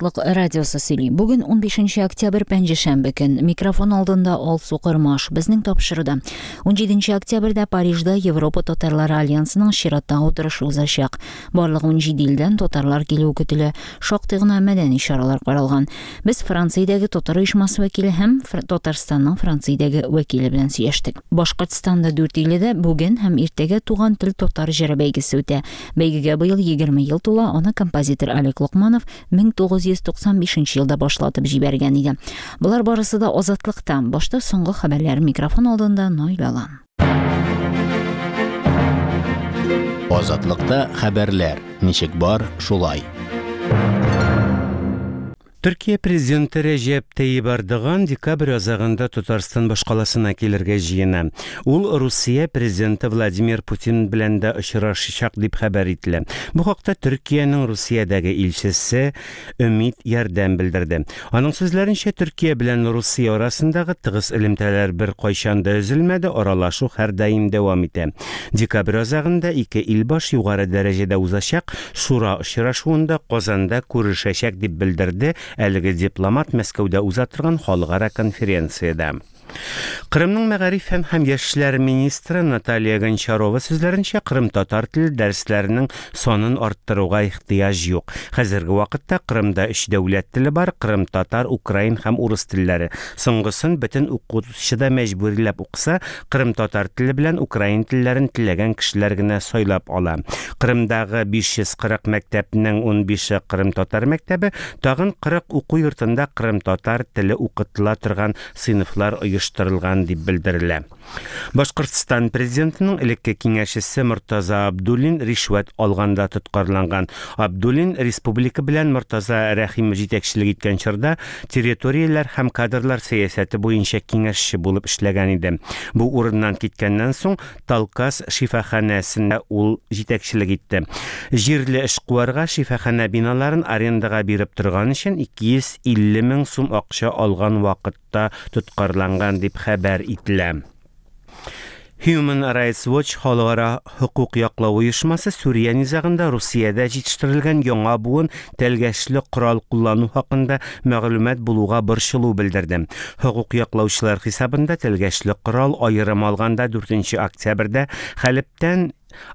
Азатлык радиосы сөйли. Бүген 15 октябрь пәнҗешәмбе көн. Микрофон алдында Алсу Кормаш. Безнең тапшыруда 17 октябрьдә Парижда Европа татарлары альянсының чираттагы утырышы узачак. Барлыгы 17 илдән татарлар килүе көтелә. Шактый гына мәдәни чаралар каралган. Без Франциядәге татар оешмасы вәкиле һәм Татарстанның Франциядәге вәкиле белән сөйләштек. Башкортстанда Дүртөйледә бүген һәм иртәгә Туган тел татар җыры бәйгесе үтә. Бәйгегә быел 20 ел тула, аны композитор Олег Локманов 1995 елда башлатып җибәргән иде. Болар барысы да Азатлыкта. Башта соңгы хәбәрләр микрофон алдында Наил Алан. Азатлыкта хәбәрләр, ничек бар, шулай. Төркия президенты Рәҗәп Тәйип Эрдоган декабрь азагында Татарстан башкаласына килергә җыена. Ул Русия президенты Владимир Путин белән дә очрашачак дип хәбәр ителә. Бу хакта Төркиянең Русиядәге илчесе Өмит Ярдәм белдерде. Аның сүзләренчә, Төркия белән Русия арасындагы тыгыз элемтәләр беркайчан да өзелмәде, аралашу һәрдаим дәвам итә. Декабрь азагында ике илбаш югары дәрәҗәдә узачак Шура очрашуында Казанда күрешәчәк, дип белдерде әлеге дипломат Мәскәүдә уза торган халыкара конференциядә. Кырымның мәгариф фән һәм яшьләр министры Наталья Гончарова сүзләренчә, кырымтатар теле дәресләренең санын арттыруга ихтыяҗ юк. Хәзерге вакытта Кырымда өч дәүләт теле бар, кырымтатар, украин һәм урыс телләре. Соңгысын бөтен укучы да мәҗбүриләп укыса, Кырымтатар теле белән украин телләрен теләгән кешеләр генә сайлап ала. Кырымдагы 540 мәктәпнең унбише кырымтатар мәктәбе, тагын 40 уку йортында кырымтатар теле укытыла торган сыйныфлар оештырылган дип белдерелә. Башкортстан президентының элекке киңәшчесе Мортаза Абдуллин ришвәт алганда тоткарланган. Абдуллин республика белән Мортаза Рәхимов җитәкчелек иткән чорда территорияләр һәм кадрлар сәясәте буенча киңәшче булып эшләгән иде. Бу урыннан киткәннән соң Талкас шифаханәсенә ул җитәкчелек итте. Җирле эшкуарга шифаханә биналарын арендага биреп торган өчен 250 мең сум акча алган вакытта тоткарланган дип хәбәр ителә. Human Rights Watch халыкара хокук яклау оешмасы Сүрия низагында Русиядә җитештерелгән яңа буын тәлгәшле корал куллану хакында мәгълүмат булуга борчылу белдерде. Хокук яклаучылар хисабында тәлгәшле корал аерым алганда 4 октябрьдә Хәлептән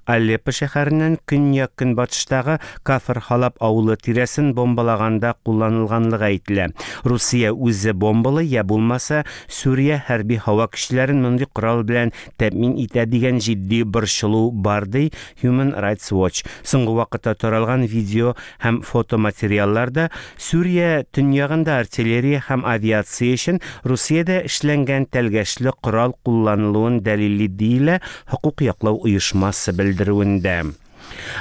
Алеппо шәһәреннән көньяк-көнбатыштагы Кафр-Халаб авылы тирәсен бомбалаганда кулланылганлыгы әйтелә. Русия үзе бомбалый, я булмаса, Сүрия хәрби һава көчләрен мондый корал белән тәэмин итә дигән җитди борчылу бар, ди Human Rights Watch. Соңгы вакытта таралган видео һәм фотоматериалларда Сүрия төньягында артиллерия һәм авиация өчен Русиядә эшләнгән тәлгәшле корал кулланылуын дәлилли, диелә хокук яклау оешмасы белдерүендә.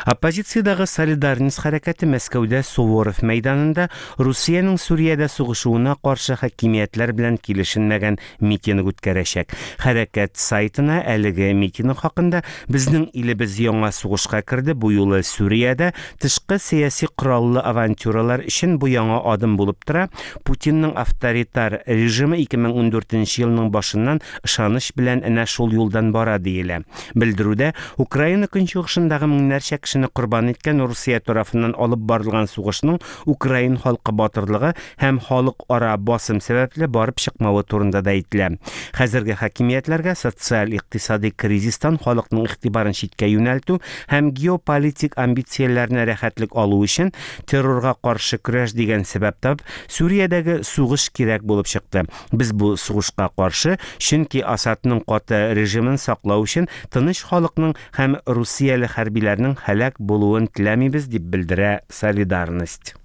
Оппозициядәге Солидарность хәрәкәте Мәскәүдә Суворов мәйданында Русиянең Сүриядә сугышуына каршы хакимиятләр белән килешенмәгән митинг үткәрәчәк. Хәрәкәт сайтына әлеге митинг хакында Безнең илебез яңа сугышка керде, бу юлы Сүриядә, тышкы сәяси кораллы авантюралар өчен бу яңа адым булып тора, Путинның авторитар режимы 2014 нче елның башыннан ышаныч белән әнә шул юлдан бара, диелә. Белдерүдә Украина көнчыгышындагы меңнәрчә кешене корбан иткән Русия тарафыннан алып барылган сугышның украин халкы батырлыгы һәм халыкара басым сәбәпле барып чыкмавы турында да әйтелә. Хәзерге хакимиятләргә социаль-икътисади кризистан халыкның игътибарын читкә юнәлтү һәм геополитик амбицияләренә рәхәтлек алу өчен террорга каршы көрәш дигән сәбәп табып, Сүриядәге сугыш кирәк булып чыкты. Без бу сугышка каршы, чөнки Асадның каты режимын саклау өчен тыныч халыкның һәм русияле хәрбиләрнең һәлак булуын теләмибез, дип белдерә Солидарность.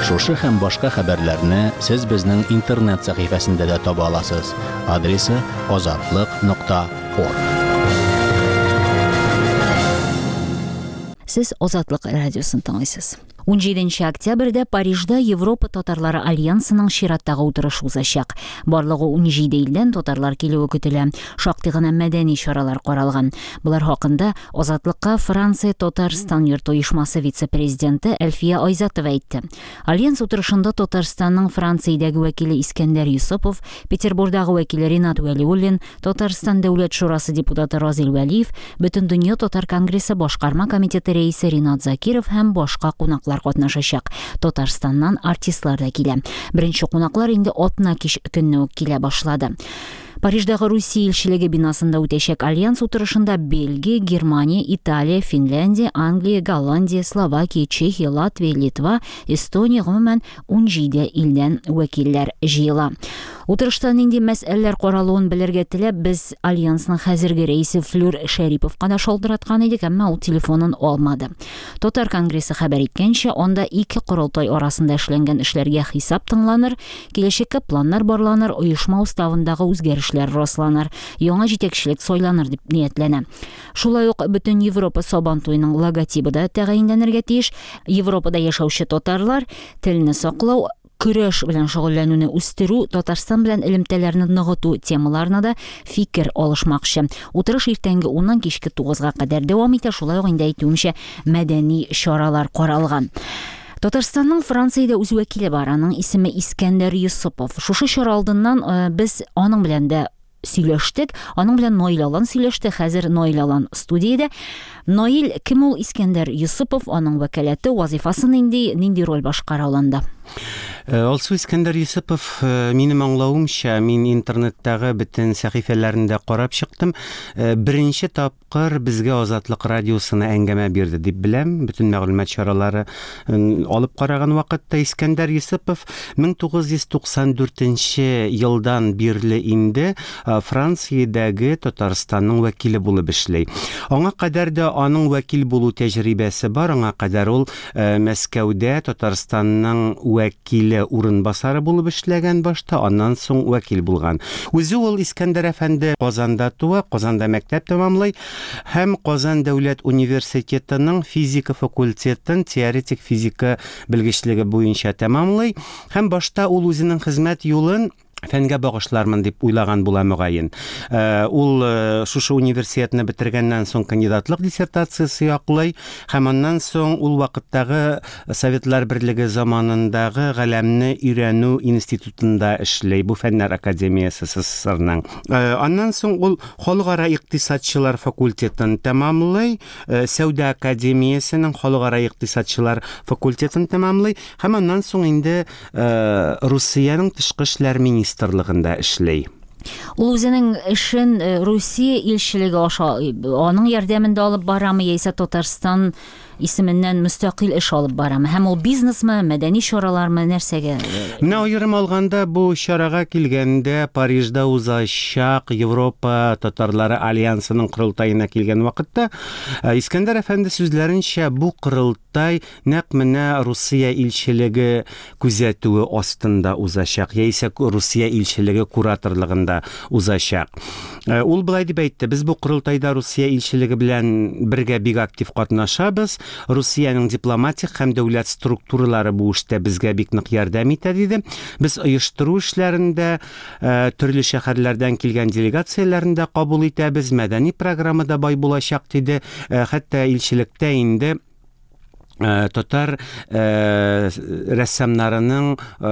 Шушы һәм башка хәбәрләрне сез безнең интернет сәхифәсендә дә таба аласыз. Адресы азатлык нокта орг. Сез Азатлык радиосын тыңлыйсыз. 17 октябрьдә Парижда Европа татарлары альянсының чираттагы утырышы узачак. Барлыгы 17 илдән татарлар килүе көтелә. Шактый гына мәдәни чаралар каралган. Болар хакында Азатлыкка Франция Татарстан йорты оешмасы вице-президенты Әлфия Айзатова әйтте. Альянс утырышында Татарстанның Франциядәге вәкиле Искәндәр Йосыпов, Петербурдагы вәкиле Ринат Вәлиуллин, Татарстан Дәүләт шурасы депутаты Разил Вәлиев, Бөтендөнья татар конгрессы башкарма комитеты рәисе Ринат Закиров һәм башка кунаклар чаралар катнашачак. Татарстаннан артистлар да килә. Беренче кунаклар инде атна кич көнне үк килә башлады. Париждагы Русия илчелеге бинасында үтәчәк альянс утырышында Бельгия, Германия, Италия, Финляндия, Англия, Голландия, Словакия, Чехия, Латвия, Литва, Эстония, гомумән, 17 илдән вәкилләр җыела. Утырышта нинди мәсьәләләр каралуын белергә теләп, без альянсның хәзерге рәисе Флүр Шәриповка да шалтыраткан идек, әмма ул телефонын алмады. Татар конгрессы хәбәр иткәнчә, анда ике корылтай арасында эшләнгән эшләргә хисап тыңланыр, киләчәккә планнар барланыр, оешма уставындагы үзгәрешләр расланыр, яңа җитәкчелек сайланыр дип ниятләнә. Шулай ук бөтен Европа Сабан туеның логотибы да тәгаенләнергә тиеш. Европада яшәүче татарлар телне саклау, көрәш белән шөгыльләнүне үстерү, Татарстан белән элемтәләрне ныгыту темаларына да фикер алышмакчы. Утырыш иртәнге уннан кичке тугызга кадәр дәвам итә, шулай ук инде әйтүемчә, мәдәни чаралар каралган. Татарстанның Франциядә үз вәкиле бар, аның исеме Искәндәр Йосыпов. Шушы чара алдыннан э, без аның белән дә сөйләштек. Аның белән Наил Алан сөйләште. Хәзер Наил Алан студиядә. Наил, кем ул Искәндәр Йосыпов? Аның вәкаләте, вазифасы нинди, нинди роль башкара ул анда? Э, Алсу Искәндәр Йосыпов, э, минем аңлавымча, мин интернеттагы бөтен сәхифәләрен дә карап чыктым. Э, беренче тап Кыр безгә Азатлык радиосына әңгәмә бирде дип беләм. Бөтен мәгълүмат чаралары алып караган вакытта Искәндәр Йосыпов 1994 елдан бирле инде Франциядәге Татарстанның вәкиле булып эшли. Аңа кадәр дә аның вәкил булу тәҗрибәсе бар, аңа кадәр ул Мәскәүдә Татарстанның вәкиле урынбасары булып эшләгән башта, аннан соң вәкил булган. Үзе ул Искәндәр әфәнде Казанда туа, Казанда мәктәп тәмамлый һәм Казан дәүләт университетының физика факультетын теоретик физика белгечлеге буенча тәмамлый һәм башта ул үзенең хезмәт юлын фәнгә багышлармын дип уйлаган була мөгаен. Э, ул э, шушы университетны бетергәннән соң кандидатлык диссертациясе яклый һәм аннан соң ул вакыттагы Советлар Берлеге заманындагы галәмне өйрәнү институтында эшли, бу фәннәр академиясе СССРның. Э, аннан соң ул халыкара икътисадчылар факультетын тәмамлый, Сәүдә академиясенең халыкара икътисадчылар факультетын тәмамлый һәм аннан соң инде Э, Русиянең тышкы эшләр министрлыгында эшли. Ул үзенең эшен э, Русия илчелеге аша э, аның ярдәмендә алып барамы яисә Татарстан исеменнән мөстәкыйль эш алып барамы? Һәм ул бизнесмы, мәдәни чаралармы, нәрсәгә? Менә аерым алганда бу чарага килгәндә Парижда узачак Европа татарлары альянсының корылтаена килгән вакытта Искәндәр әфәнде сүзләренчә бу корылтай нәкъ менә Русия илчелеге күзәтүе астында узачак, яисә Русия илчелеге кураторлыгында узачак. Э, ул болай дип әйтте, без бу корылтайда Русия илчелеге белән бергә бик актив катнашабыз. Русиянең дипломатик һәм дәүләт структуралары бу эштә безгә бик нык ярдәм итә, диде. Без оештыру эшләрендә э, төрле шәһәрләрдән килгән делегацияләрне дә кабул итәбез, мәдәни программа да бай булачак, диде. Э, хәтта илчелектә инде Э, татар э, рәссамнарының э,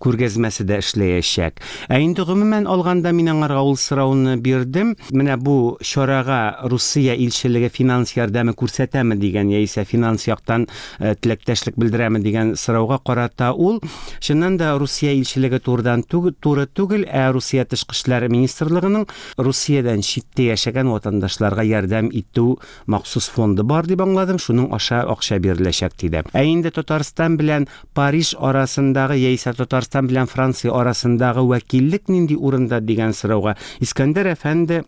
күргәзмәсе дә эшләячәк. Ә инде гомумән алганда мин аңарга ул сорауны бирдем. Менә бу чарага Русия илчелеге финанс ярдәме күрсәтәме дигән яисә финанс яктан теләктәшлек белдерәме дигән сорауга карата ул чыннан да Русия илчелеге турыдан туры түгел, ә Русия тышкы эшләр министрлыгының Русиядән читтә яшәгән ватандашларга ярдәм итү Махсус фонды бар дип аңладым, шуның аша акча биреләчәк, диде. Ә инде Татарстан белән Париж арасындагы яисә Татарстан белән Франция арасындагы вәкиллек нинди урында дигән сорауга Искәндәр әфәнде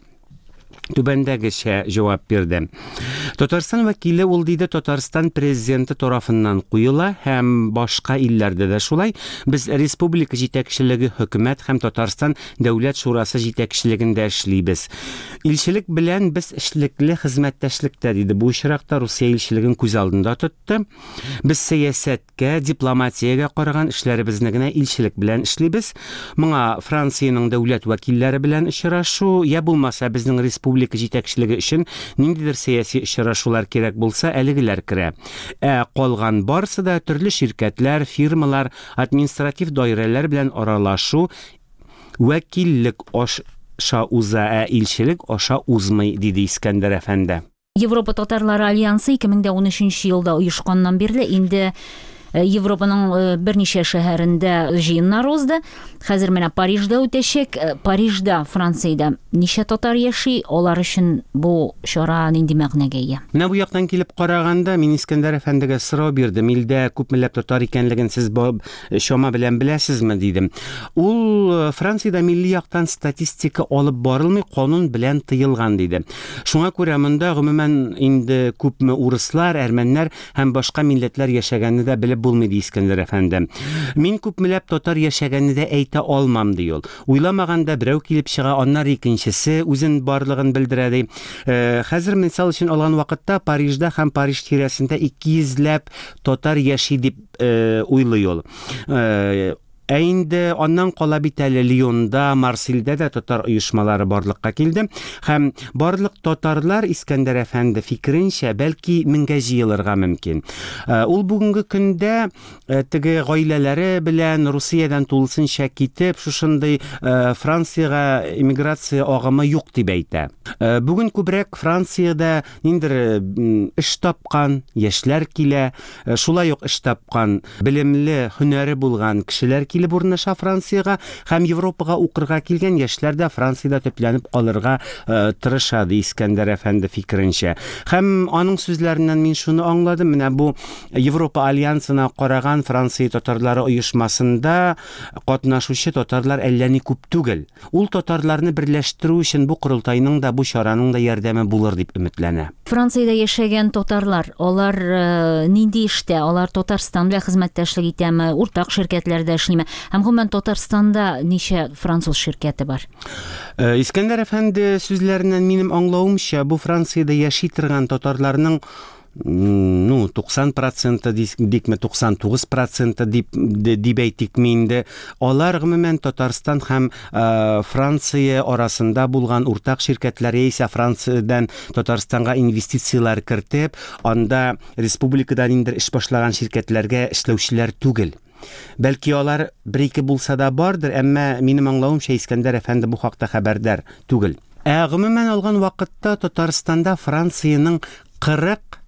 түбәндәгечә җавап бирде. Татарстан вәкиле ул диде Татарстан президенты тарафыннан куела һәм башка илләрдә дә шулай. Без республика җитәкчелеге, хөкүмәт һәм Татарстан Дәүләт шурасы җитәкчелегендә эшлибез. Илчелек белән без эшлекле хезмәттәшлектә, диде. Бу очракта Русия илчелеген күз алдында тотты. Без сәясәткә, дипломатиягә караган эшләребезне генә илчелек белән эшлибез. Моңа Франциянең дәүләт вәкилләре белән очрашу, я булмаса безнең республика җитәкчелеге өчен ниндидер сәяси очрашулар кирәк булса, әлегеләр керә. Ә калган барысы да төрле ширкәтләр, фирмалар, административ даирәләр белән аралашу Вәкиллек аша уза, ә илчелек аша узмый, диде Искәндәр әфәнде. Европа татарлары альянсы 2013 елда оешканнан бирле инде Европаның берничә шәһәрендә җыеннар узды. Хәзер менә Парижда үтәчәк. Парижда, Франциядә ничә татар яши? Алар өчен бу чара нинди мәгънәгә ия? Менә бу яктан килеп караганда, мин Искәндәр әфәндегә сорау бирдем. Илдә күпмеләп татар икәнлеген сез чама белән беләсезме, дидем. Ул Франциядә милли яктан статистика алып барылмый, канун белән тыелган, диде. Шуңа күрә монда гомумән инде күпме урыслар, әрмәннәр һәм башка милләтләр яшәгәнне дә белеп булмый, ди Искәндәр әфәнде. Мин күпмеләп татар яшәгәнне дә әйтә алмам, ди ул. Уйламаганда берәү килеп чыга, аннары икенчесе үзен барлыгын белдерә, ди. Хәзер мисал өчен алган вакытта Парижда һәм Париж тирәсендә 200 ләп татар яши дип уйлый ул. Ә инде аннан кала бит әле Лионда, Марсельдә дә татар оешмалары барлыкка килде. Һәм барлык татарлар, Искәндәр әфәнде фикеренчә, бәлки меңгә җыелырга мөмкин. Ул бүгенге көндә теге гаиләләре белән Русиядән тулысынча китеп, шушындый Франциягә эмиграция агымы юк дип әйтә. Бүген күбрәк Франциядә ниндидер эш тапкан яшьләр килә, шулай ук эш тапкан, белемле, һөнәре булган кешеләр килеп урнаша Франциягә һәм Европага укырга килгән яшьләр дә Франциядә төпләнеп калырга тырыша, ди Искәндәр әфәнде фикеренчә. Һәм аның сүзләреннән мин шуны аңладым, менә бу Европа альянсына караган Франция татарлары оешмасында катнашучы татарлар әллә ни күп түгел. Ул татарларны берләштерү өчен бу корылтайның да, бу чараның да ярдәме булыр дип өметләнә. Франциядә яшәгән татарлар, алар нинди эштә? Алар Татарстан белән хезмәттәшлек итәме, уртак ширкәтләрдә эшлиме? Һәм гомумән Татарстанда ничә француз ширкәте бар? Искәндәр әфәнде сүзләреннән минем аңлавымча, бу Франциядә яши торган татарларның ну, 90 проценты дикме, 99 проценты дип, дип әйтикме инде, алар гомумән Татарстан һәм Франция арасында булган уртак ширкәтләр яисә Франциядән Татарстанга инвестицияләр кертеп, анда республикада ниндидер эш башлаган ширкәтләргә эшләүчеләр түгел. Бәлки алар бер-ике булса да бардыр, әмма минем аңлавымча Искәндәр әфәнде бу хакта хәбәрдар түгел. Ә гомумән алган вакытта Татарстанда Франциянең 40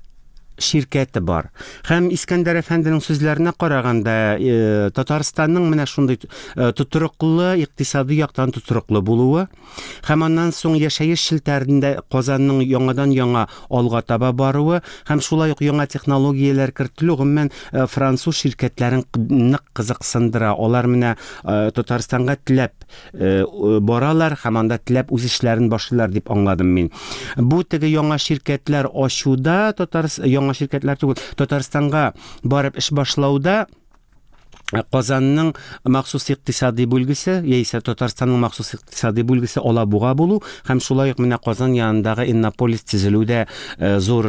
ширкәте бар. Һәм Искәндәр әфәнденең сүзләренә караганда, Татарстанның менә шундый тотрыклы, икътисади яктан тотрыклы булуы һәм аннан соң яшәеш челтәрендә Казанның яңадан-яңа алга таба баруы һәм шулай ук яңа технологияләр кертелү гомумән француз ширкәтләрен нык кызыксындыра. Алар менә Татарстанга теләп баралар һәм анда теләп үз эшләрен башлыйлар дип аңладым мин. Бу теге яңа ширкәтләр ачуда, татар яңа ширкәтләр түгел, Татарстанга барып эш башлауда Казанның махсус икътисади бүлгесе яисә Татарстанның махсус икътисади бүлгесе Алабуга булу һәм шулай ук менә Казан янындагы Иннополис төзелүдә зур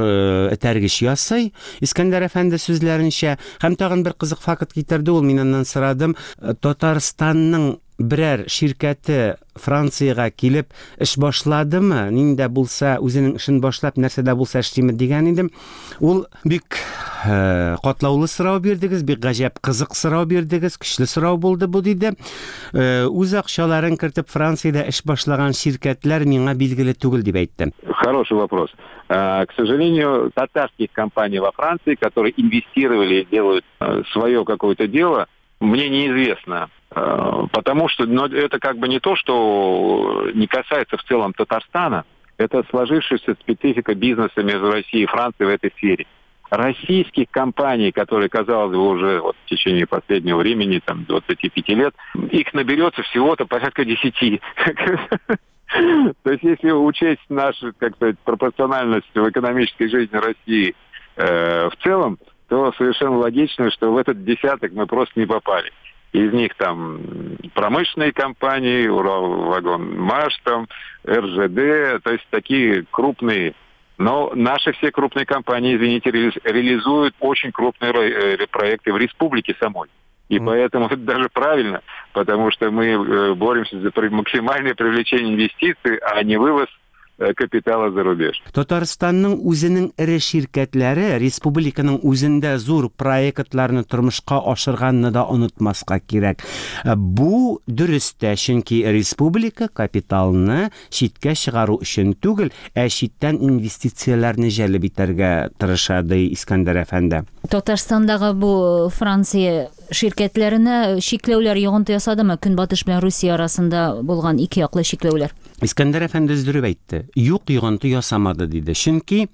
этәргеч ясый. Искәндәр әфәнде сүзләренчә, һәм тагын бер кызык факт китерде ул, мин аннан сорадым, Татарстанның берәр ширкәте Франциягә килеп эш башладымы, нинди дә булса үзенең эшен башлап, нәрсә дә булса эшлиме дигән идем. Ул бик катлаулы сорау бирдегез, бик гаҗәп кызык сорау бирдегез, көчле сорау булды бу, диде. Үз акчаларын кертеп Франциядә эш башлаган ширкәтләр миңа билгеле түгел дип әйтте. Хороший вопрос. К сожалению, татарских компаний во Франции, которые инвестировали и делают свое какое-то дело, мне неизвестно. Потому что, но это как бы не то, что не касается в целом Татарстана, это сложившаяся специфика бизнеса между Россией и Францией в этой сфере. Российских компаний, которые, казалось бы, уже вот в течение последнего времени, там, 25 лет, их наберется всего-то порядка 10. То есть, если учесть нашу, как сказать, пропорциональность в экономической жизни России в целом, то совершенно логично, что в этот десяток мы просто не попали. Из них там промышленные компании, Уралвагонмаш, там, РЖД, то есть такие крупные. Но наши все крупные компании, извините, реализуют очень крупные проекты в республике самой. И поэтому это даже правильно, потому что мы боремся за максимальное привлечение инвестиций, а не вывоз капитала за рубеж. Татарстанның үзенең эре ширкәтләре республиканың үзендә зур проектларны тормышка ашырганны да онытмаска кирәк. Бу дөрес тә, чөнки республика капиталны читкә чыгару өчен түгел, ә читтән инвестицияләрне җәлеп итәргә тырыша, ди Искәндәр әфәнде. Татарстандагы бу Франция ширкәтләренә чикләүләр йогынты ясадымы? Көнбатыш белән Русия арасында булган ике яклы чикләүләр. Искәндәр әфәнде өздереп әйтте. Юк, йогынты ясамады, диде. Чөнки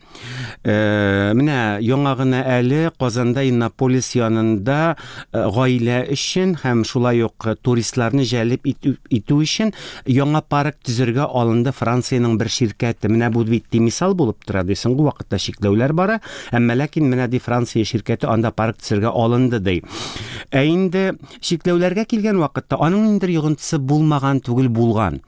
менә яңа гына әле Казанда Иннополис янында гаилә өчен һәм шулай ук туристларны җәлеп итү, итү өчен яңа парк төзергә алынды Франциянең бер ширкәте. Менә бу бит ди мисал булып тора, ди. Соңгы вакытта чикләүләр бара, әмма ләкин менә ди Франция ширкәте анда парк төзергә алынды, ди. Ә инде чикләүләргә килгән вакытта аның ниндидер йогынтысы булмаган түгел, булган.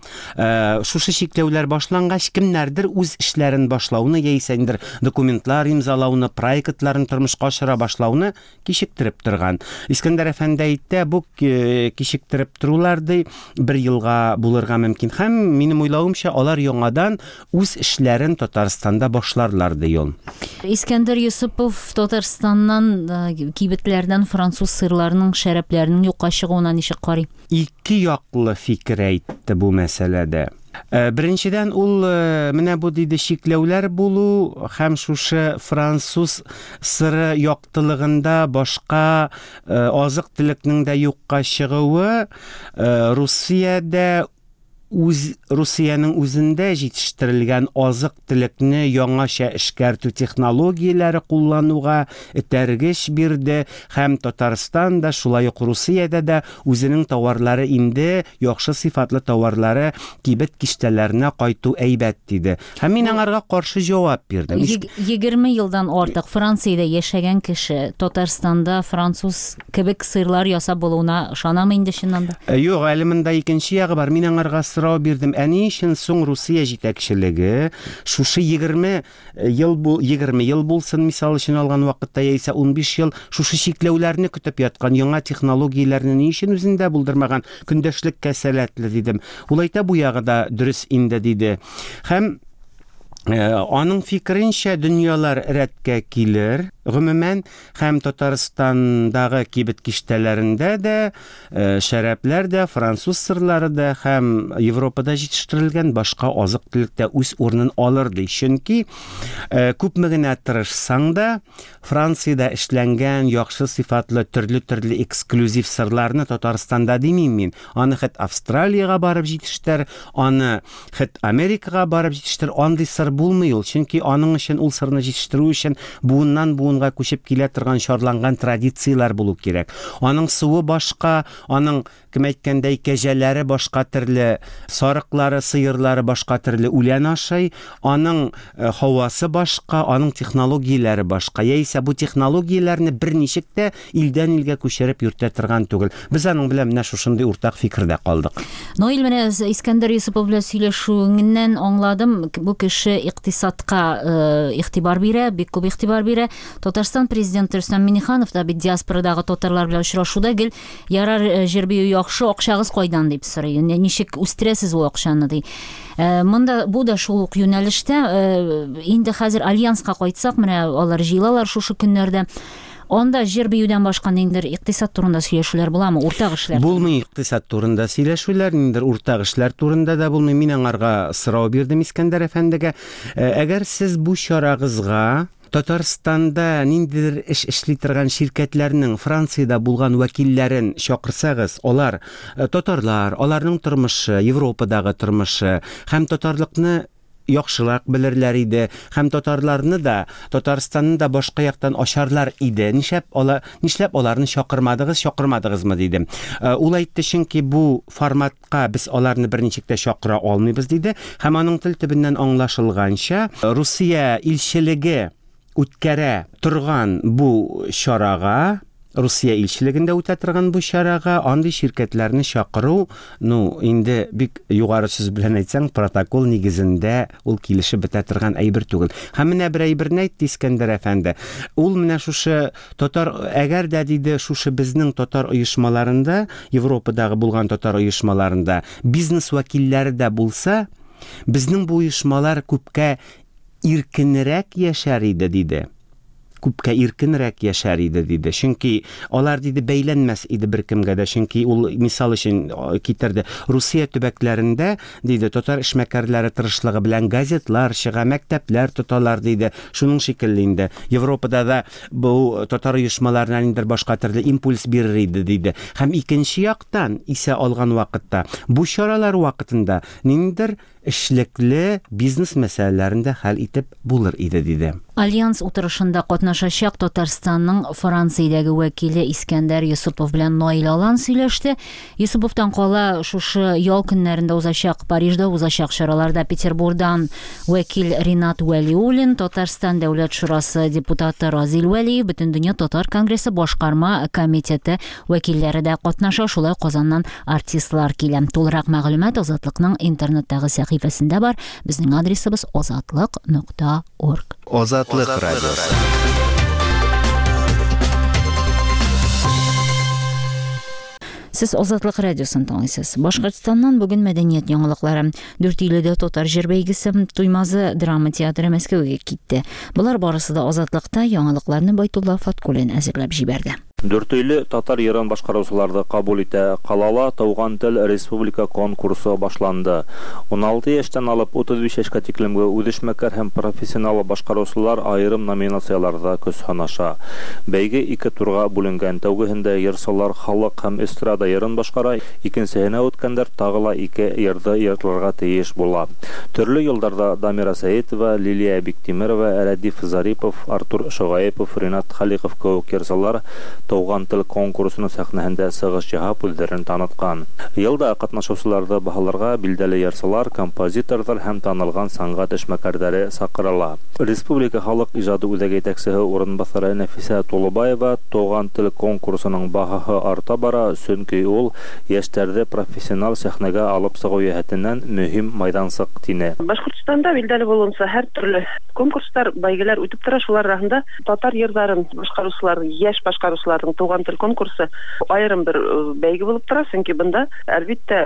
Шушы чикләүләр башлангач, кемнәрдер үз эшләрен башлауны яисә ниндидер документлар имзалауны, проектларын тормышка ашыра башлауны кичектереп торган. Искәндәр әфәнде әйтте, бу кичектереп торулар ди, бер елга булырга мөмкин. Һәм минем уйлавымча, алар яңадан үз эшләрен Татарстанда башларлар, ди ул. Искәндәр Йосыпов Татарстаннан кибетләрдән француз сырларының, шәрәпләренең юкка чыгуына ничек карый? Ике яклы фикер әйтте бу мәсьәләдә. Беренчедән, ул менә бу диде чикләүләр булу һәм шушы француз сыры яктылыгында башка азык-төлекнең дә юкка чыгуы Русиядә үз Русиянең үзендә җитештерелгән азык-төлекне яңача эшкәртү технологияләре куллануга этәргеч бирде һәм Татарстан да, шулай ук Русиядә дә үзенең тауарлары инде яхшы сыйфатлы тауарлары кибет киштәләренә кайту әйбәт, диде. Һәм мин аңарга каршы җавап бирдем. 20 елдан артык Франциядә яшәгән кеше Татарстанда француз кебек сырлар ясап булуына ышанамы инде чыннан да? Юк, әле монда икенче ягы бар. Мин аңарга сорау бирдем. Ә ни өчен соң Русия җитәкчелеге шушы 20 ел бу 20 ел булсын, мисал өчен алган вакытта, яисә 15 ел шушы чикләүләрне көтеп яткан, яңа технологияләрне ни өчен үзендә булдырмаган, көндәшлеккә сәләтле, дидем. Ул әйтә, бу ягы да дөрес инде, диде. Һәм аның фикеренчә, дөньялар рәткә килер, гомумән, һәм Татарстандагы кибет киштәләрендә дә шәрәпләр дә, француз сырлары да һәм Европада җитештерелгән башка азык-төлек тә үз урынын алыр, ди. Чөнки күпме генә тырышсаң да, Франциядә эшләнгән яхшы сыйфатлы төрле-төрле эксклюзив сырларны Татарстанда димим мин, аны хет Австралиягә барып җитештер, аны хет Америкага барып җитештер, андый сыр булмый ул, чөнки аның өчен ул сырны җитештерү өчен буыннан буынга күчеп килә торган чарланган традицияләр булу кирәк. Аның суы башка, аның Кем әйткәндәй, кәҗәләре башка төрле, сарыклары, сыерлары башка төрле үлән ашый, аның һавасы башка, аның технологияләре башка. Яисә бу технологияләрне берничек тә илдән илгә күчереп йөртә торган түгел. Без аның белән менә шушындый уртак фикердә калдык. Наил, менә Искәндәр Йосыпов белән сөйләшүеңнән аңладым, бу кеше икътисадка игътибар бирә, бик күп игътибар бирә. Татарстан Президенты Рөстәм Миңнеханов та бит диаспорадагы татарлар белән очрашуда гел Ярар, җыр бию яхшы, акчагыз кайдан дип сорый. Ничек үстерәсез ул акчаны ди. Монда бу да шул ук юнәлештә. Инде хәзер альянска кайтсак, менә алар җыелалар шушы көннәрдә. Анда җыр биюдән башка ниндидер икътисад турында сөйләшүләр буламы? Уртак эшләр? Булмый икътисад турында сөйләшүләр, ниндидер уртак эшләр турында да булмый. Мин аңарга сорау бирдем Искәндәр әфәндегә. Әгәр сез бу чарагызга Татарстанда ниндидер эш эшли торган ширкәтләрнең Франциядә булган вәкилләрен чакырсагыз, алар татарлар, аларның тормышы, Европадагы тормышы һәм татарлыкны яхшырак белерләр иде һәм татарларны да, Татарстанны да башка яктан ачарлар иде. Нишләп ала, нишләп аларны чакырмадыгыз, чакырмадыгызмы, дидем. Ул әйтте, чөнки бу формат ка без аларны берничек тә чакыра алмыйбыз, диде һәм аның тел төбеннән аңлашылганча, Русия илчелеге үткәрә торган бу чарага, Русия илчелегендә үтә торган бу чарага андый ширкәтләрне чакыру, ну, инде бик югары сүз белән әйтсәң, протокол нигезендә ул килешеп бетә торган әйбер түгел. Һәм менә бер әйберне әйтте Искәндәр әфәнде. Ул менә шушы Татар, әгәр дә, диде, шушы безнең татар оешмаларында, Европадагы булган татар оешмаларында бизнес вәкилләре дә булса, Безнең бу оешмалар күпкә иркенрәк яшәр иде, диде. Күпкә иркенрәк яшәр иде, диде. Чөнки алар, диде, бәйләнмәс иде беркемгә дә. Чөнки ул мисал өчен китерде. Русия төбәкләрендә, диде, татар эшмәкәрләре тырышлыгы белән газетлар чыга, мәктәпләр тоталар, диде. Шуның шикелле инде. Европада да бу татар оешмаларына ниндидер башка төрле импульс бирер иде, диде. Һәм икенче яктан исә алган вакытта, бу чаралар вакытында ниндидер эшлекле бизнес мәсьәләләрен дә хәл итеп булыр иде, диде. Альянс утырышында катнашачак Татарстанның Франциядәге вәкиле Искәндәр Йосыпов белән Наил Алан сөйләште. Йосыповтан кала шушы ял көннәрендә узачак Парижда узачак чараларда Петербурдан вәкил Ринат Вәлиуллин, Татарстан Дәүләт Шурасы депутаты Разил Вәлиев, Бөтендөнья татар конгрессы башкарма комитеты вәкилләре дә катнаша, шулай ук Казаннан артистлар килә. Тулырак мәгълүмат Азатлыкның интернеттагы сәхифәсендә бар. Безнең адресыбыз азатлык нокта орг. Азатлык радиосы. Сез Азатлык радиосын тыңлыйсыз. Башкортстаннан бүген мәдәният яңалыклары. Дүртөйледә татар җыр бәйгесе, Туймазы драма театры Мәскәүгә китте. Болар барысы да Азатлыкта яңалыкларны Байтулла Фаткуллин әзерләп җибәрде. Дүртөйле татар йырын башкаручыларны кабул итә. Калала Туган тел республика конкурсы башланды. 16 яшьтән алып 35 яшькә тиклемге үзешмәкәр һәм профессионал башкаручылар аерым номинацияләрдә көч сынаша. Бәйге ике турга бүленгән. Тәүгеһендә йырчылар халык һәм эстрада йырын башкара, икенчеһенә үткәндәр тагы ла ике йырды йырларга тиеш була. Төрле елларда Дамира Сәетова, Лилия Биктимерова, Рәдиф Зарипов, Артур Шогаепов, Ринат Халиков кебек йырчылар Туган тел конкурсының сәхнәһендә сыгыш яһап үзләрен таныткан. Елда катнашучыларны баһаларга билдәле йырчылар, композиторлар һәм танылган сәнгать эшмәкәрләре чакырыла. Республика халык иҗады үзәге җитәкчесе урынбасары Нәфисә Тулыбаева Туган тел конкурсының баһаһы арта бара, чөнки ул яшьләрне профессионал сәхнәгә алып чыгу җәһәтеннән мөһим майдансык, тине. Башкортстанда билдәле булуынча һәр төрле конкурслар, бәйгеләр үтеп тора, шулар арасында татар йырларын башкаручылар, яшь башкаручыларның Туган тел конкурсы аерым бер бәйге булып тора, чөнки бында, әлбиттә,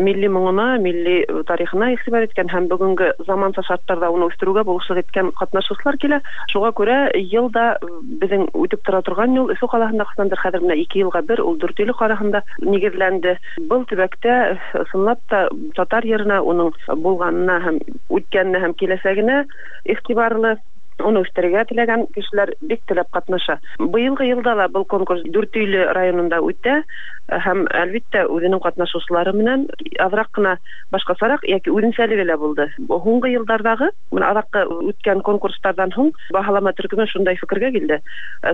милли моңына, милли тарихына игътибар иткән һәм бүгенге заманча шартларда уны үстерүгә булышлык иткән катнашучылар килә. Шуңа күрә ел да безнең үтеп тора торган юл Өфе каласында кысандыр, хәзер менә ике елга бер ул Дүртөйле каласында нигезләнде. Был төбәктә чынлап та татар йырына, уның булганына һәм үткәненә һәм киләчәгенә игътибарлы, уны үстерергә теләгән кешеләр бик теләп катнаша. Быелгы елда ла был конкурс Дүртөйле районында үтә һәм, әлбиттә, үзенең катнашучылары менән азрак кына башкачарак яки үзенчәлеге лә булды. Һуңгы еллардагы, менә азаккы үткән конкурслардан һуң баһалама төркеме шундай фикергә килде.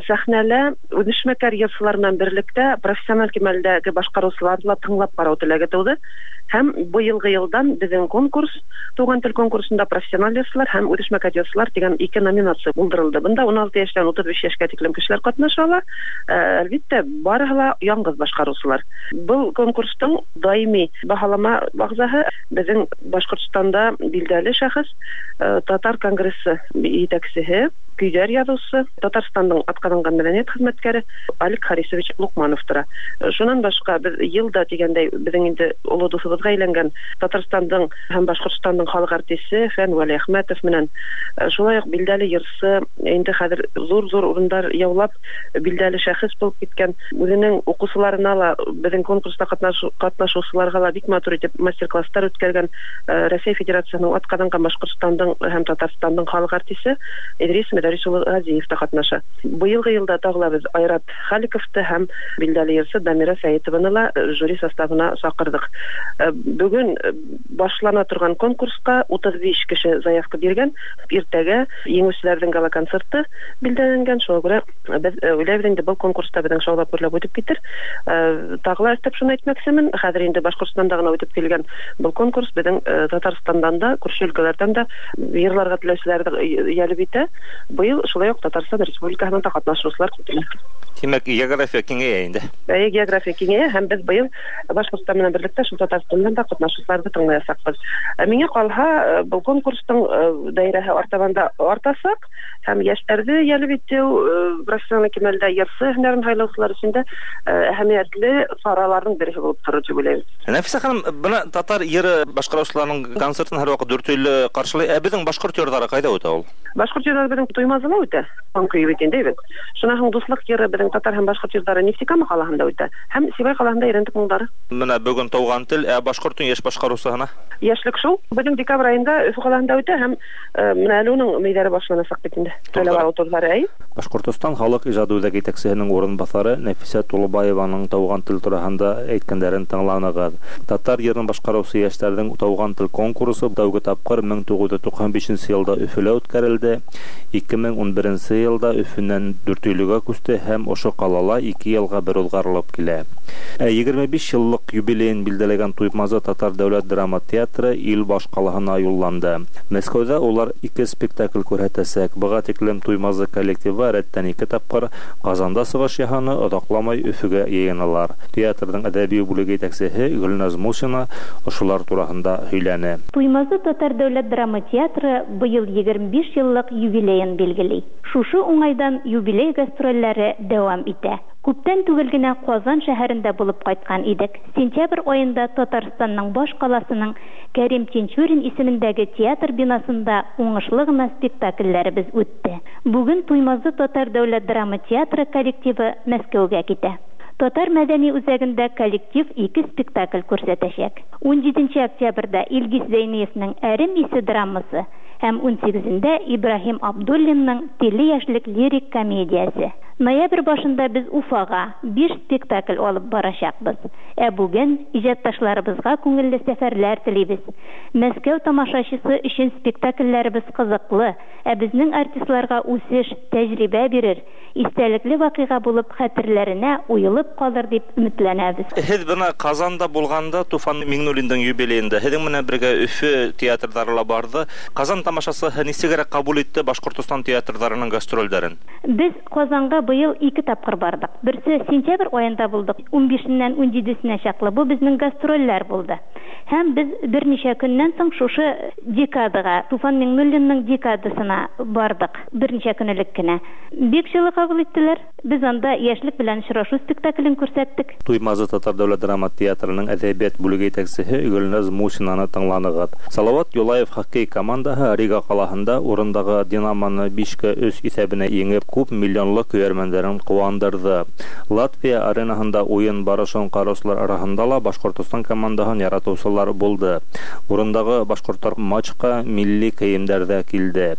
Сәхнәлә үзешмәкәр йырчылар белән берлектә профессиональ кимәлдәге башкаручыларны ла тыңлап карау теләге туды. Һәм быелгы елдан безнең конкурс Туган тел конкурсында профессиональ йырчылар һәм үзешмәкәр йырчылар дигән ике номинация булдырылды. Бында 16 яшьтән 35 яшькә тиклем кешеләр катнаша ала. Әлбиттә, барыһы ла яңгыз башкаручылар. Был конкурстың даими баһалама әгъзаһы безнең Башкортстанда билдәле шәхес, Татар конгрессы җитәкчеһе, көйләр язучысы, Татарстанның атказанган мәдәният хезмәткәре Алик Харисович Лукманов тора. Шуннан башка без ел да дигәндәй безнең инде олы дусыбызга әйләнгән Татарстанның һәм Башкортстанның халык артисты Фән Вәлиәхмәтов менән шулай ук билдәле йырчы, инде хәзер зур-зур урындар яулап, билдәле шәхес булып киткән, үзенең укучыларына ла, безнең конкурста катнашучыларга ла бик матур итеп мастер-класслар үткәргән Рәсәй Федерациясенең атказанган Башкортстанның һәм Татарстанның халык артисты Идрис Мөдәррис улы Газиев та катнаша. Быелгы елда тагы ла без Айрат Халиковты һәм билдәле йырчы Дамира Сәетованы ла жюри составына чакырдык. Бүген башлана торган конкурска 35 кеше заявка биргән. Иртәгә җиңүчеләрнең гала-концерты билдәләнгән. Шуңа күрә без уйлайбыз инде, был конкурста безнең шаулап гөрләп үтеп китер. Тагы ла өстәп шуны әйтмәкчемен, хәзер инде Башкортстанда гына үтеп килгән был конкурс безнең Татарстаннан да, күрше өлкәләрдән дә йырларга теләүчеләрне җәлеп итә. Быел шулай ук Татарстан Республикасыннан да катнашучылар көтелә. Димәк, география киңәя инде. Әйе, география киңәя һәм без быел Башкортстан белән берлектә шул Татарстаннан да катнашучыларны тыңлаячакбыз. Миңа калһа, бу конкурсның даирәһе артабан да артачак һәм яшьләрне җәлеп итү, профессиональ кимәлдә җырчы һөнәрен һайлаучылар өчен дә әһәмиятле чараларның берсе булып торыр дип уйлыйм. Нәфисә ханым, менә татар йыры башкаручыларның концертын һәрвакыт Дүртөйле каршылый. Ә безнең башкорт йырлары кайда үтә ул? Башкорт йырлары безнең Туймазыда үтә. Таң көе бит инде, әйбәт. Шуннан соң Дуслык йыры безнең татар һәм башкорт йырлары Нефтекама калаһында үтә. Һәм Сибай калаһында Өйрәндек моңнары. Менә бүген Туган тел, ә башкортның яшь башкаручысына? Яшьлек шул. Безнең декабрь аенда Өфе калаһында үтә һәм менә әле уның мөйләре башланачак бит инде. Сайлап алу турлары, әй. Башкортостан халык иҗады үзәге итәкчесенең урынбасары Нәфисә Тулубаеваның Туган тел тураһында әйткәннәрен тыңланыгыз. Татар йырын башкаручы яшьләрнең Туган тел конкурсы тәүге тапкыр 1995 нче елда Өфелә үткәрелде. 2011 нче елда Өфеннән Дүртөйлегә күчте һәм ошо калала ике елга бер узгарылып килә. Ә 25 еллык юбилеен билдәләгән Туймазы татар дәүләт драма театры ил башкалаһына юлланды. Мәскәүдә улар ике спектакль күрһәтәчәк. Быга тиклем Туймазы коллективы рәттән ике тапкыр Казанда чыгыш яһаны, озакламай Өфегә йыеналар. Театрның әдәби бүлеге итәкчеһе Гөлназ Мусина ошолар тураһында һөйләне. Туймазы татар дәүләт драма театры быел 25 еллык юбилеен билгели. Шушы уңайдан юбилей гастрольләре дәвам итә. Күптән түгел генә Казан шәһәрендә булып кайткан идек. Сентябрь аенда Татарстанның баш каласының Кәрим Тинчурин исемендәге театр бинасында уңышлы гына спектакльләребез үтте. Бүген Туймазы татар дәүләт драма театры коллективы Мәскәүгә китә. Татар мәдәни үзәгендә коллектив ике спектакль күрсәтәчәк. Унҗиденче октябрьдә Илгиз Зәйниевнең Әрем исе драмасы һәм унсигезендә Ибраһим Абдуллинның Тиле яшьлек лирик комедиясе. Ноябрь башында без Уфага биш спектакль алып барачакбыз. Ә бүген иҗатташларыбызга күңелле сәфәрләр телибез. Мәскәү тамашачысы өчен спектакльләребез кызыклы, ә безнең артистларга үсеш, тәҗрибә бирер, истәлекле вакыйга булып хәтерләренә уелып калыр дип өметләнәбез. Һез бына Казанда булганда, Туфан Миңнуллинның юбилеенда, һезнең менән бергә Өфе театрдары ла барды. Казан тамашасы ничегрәк кабул итте Башкортостан театрдарының гастрольдәрен? Без Казанга быел ике тапкыр бардык. Берсе сентябрь аенда булдык, унбишеннән унҗидесенә чаклы. Бу безнең гастрольләр булды. Һәм без берничә көннән соң шушы декадага, Туфан Миңнуллинның декадасына бардык, берничә көн элек кенә. Бик җылы кабул иттеләр. Без анда Яшьлек белән очрашу спектаклен күрсәттек. Туймазы татар дәүләт драма театрының әдәбият бүлеге итәкчеһе Гөлназ Мусинаны тыңланыгыз. Салават Юлаев хоккей командаһы Рига калаһында урындагы Динамоны бишкә өч исәбенә иңеп, күп миллионлы көярмәннәрен куандырды. Латвия аренаһында уен барышын караучылар араһында ла Башкортостан командаһын яратучылар булды. Урындагы башкортлар матчка милли киемдәрдә килде.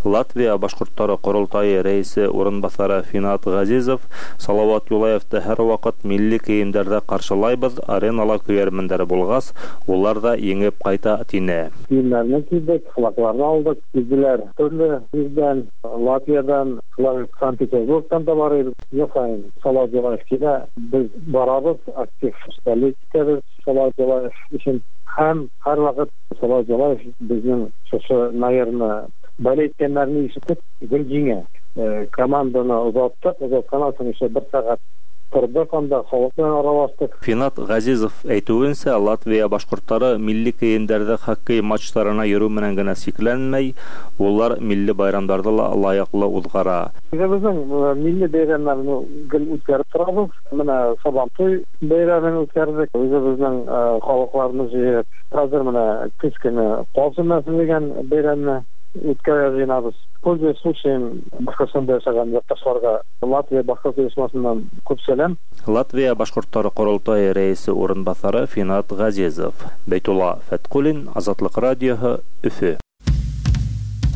Латвия башкортлары корылтае рәисе урынбасары Финат Газизов, Салават Юлаевты һәрвакыт милли киемдәрдә каршылайбыз, аренала көярмәндәре булгас, улар да еңеп кайта, тине. Киемнәрне кидек, флагларны алдык. Килделәр төрле җирдән, Латвиядән, шулай ук Санкт-Петербургтан да бар иде. Ел саен Салават Юлаев килә, без барабыз, актив болеть итәбез Салават Юлаев өчен. Һәм һәрвакыт Салават Юлаев безнең шушы наерны болеть иткәннәрне ишетеп, гел җиңә. Команданы озаттык, озатканнан соң еще бер сәгать тордык анда, халык белән аралаштык. Финат Газизов әйтүенчә, Латвия башкортлары милли киемдәрдә хоккей матчларына йөрү менән генә чикләнмәй, улар милли байрамнарда ла лаеклы узгара. Үзебезнең милли бәйрәмнәрне гел үткәреп торабыз. Менә Сабантуй бәйрәмен үткәрдек, үзебезнең халыкларны җыеп. Хәзер менә көз көне Каз өмәсе дигән бәйрәмне үткәрергә җыенабыз. Пользуясь случаем, Башкортстанда яшәгән якташларга Латвия башкорт оешмасыннан күп сәлам. Латвия башкортлары корылтае рәисе урынбасары Финат Газизов. Бәйтулла Фәткуллин, Азатлык радиоһы, Өфе.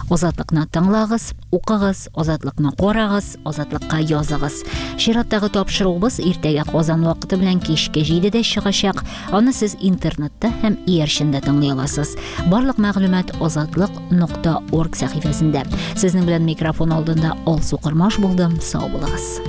Азатлыкны тыңлагыз, укыгыз, Азатлыкны карагыз, Азатлыкка языгыз. Чираттагы тапшыруыбыз иртәгә Казан вакыты белән кичке 7-дә чыгачак. Аны сез интернетта һәм иярчендә тыңлый аласыз. Барлык мәгълүмат азатлык.орг сәхифәсендә. Сезнең белән микрофон алдында Алсу Кормаш булдым. Сау булыгыз.